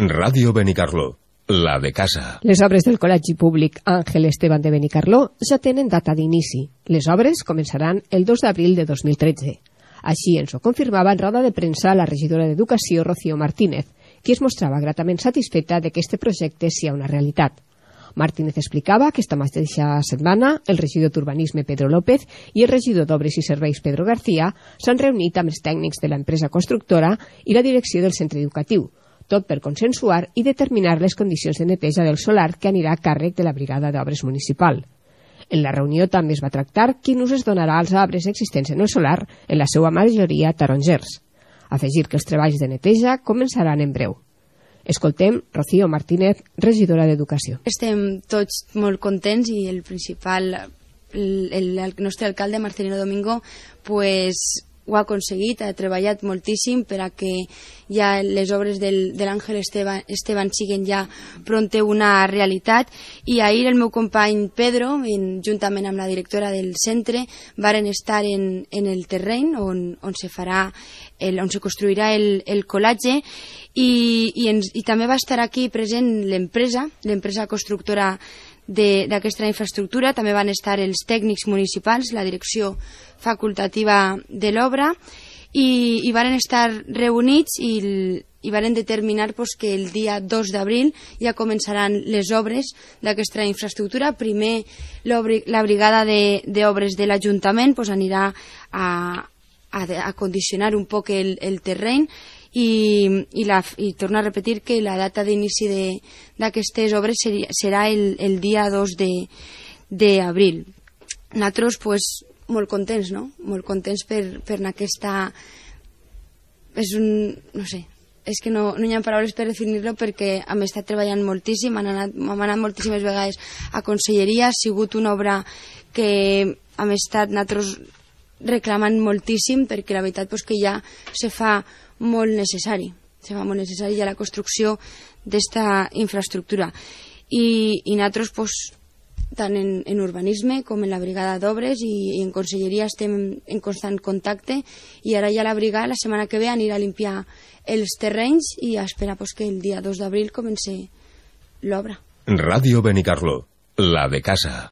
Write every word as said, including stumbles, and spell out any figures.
Ràdio Benicarló, la de casa. Les obres del Col·legi Públic Àngel Esteban de Benicarló ja tenen data d'inici. Les obres començaran el dos d'abril de dos mil tretze. Així ens ho confirmava en roda de premsa la regidora d'Educació, Rocío Martínez, qui es mostrava gratament satisfeta de que este projecte sia una realitat. Martínez explicava que esta mateixa setmana el regidor d'Urbanisme, Pedro López, i el regidor d'Obres i Serveis, Pedro García, s'han reunit amb els tècnics de l'empresa constructora i la direcció del centre educatiu, tot per consensuar i determinar les condicions de neteja del solar que anirà a càrrec de la Brigada d'Obres Municipal. En la reunió també es va tractar quin ús es donarà als arbres existents en el solar, en la seva majoria tarongers. Afegir que els treballs de neteja començaran en breu. Escoltem Rocío Martínez, regidora d'Educació. Estem tots molt contents i el principal, el, el, el nostre alcalde, Marcelino Domingo, pues, ho ha aconseguit, ha treballat moltíssim per a que ja les obres del, de l'Àngel Esteban, Esteban siguen ja pronte una realitat, i ahir el meu company Pedro, en, juntament amb la directora del centre, varen estar en, en el terreny on, on se farà el, on se construirà el, el col·legi, i, i, ens, i també va estar aquí present l'empresa, l'empresa constructora d'aquesta infraestructura. També van estar els tècnics municipals, la direcció facultativa de l'obra, i, i van estar reunits i, i van determinar pues, que el dia dos d'abril ja començaran les obres d'aquesta infraestructura. Primer la brigada d'obres de, de l'Ajuntament pues, anirà a, a, a condicionar un poc el, el terreny, I, i, la, i torno a repetir que la data d'inici d'aquestes obres seria, serà el, el dia dos d'abril. Nosaltres, pues, molt contents, no? Molt contents per, per aquesta... És un... no sé, és que no, no hi ha paraules per definir-lo, perquè hem estat treballant moltíssim, hem anat, hem anat moltíssimes vegades a conselleria, ha sigut una obra que hem estat nosaltres reclamant moltíssim, perquè la veritat pues, que ja se fa molt necessari, se fa molt necessari ja la construcció d'esta infraestructura. I, i nosaltres, pues, tant en, en urbanisme com en la brigada d'obres i, i en conselleria estem en, en constant contacte, i ara ja la brigada la setmana que ve anirà a limpiar els terrenys i a esperar pues, que el dia dos d'abril comenci l'obra. Ràdio Benicarló, la de casa.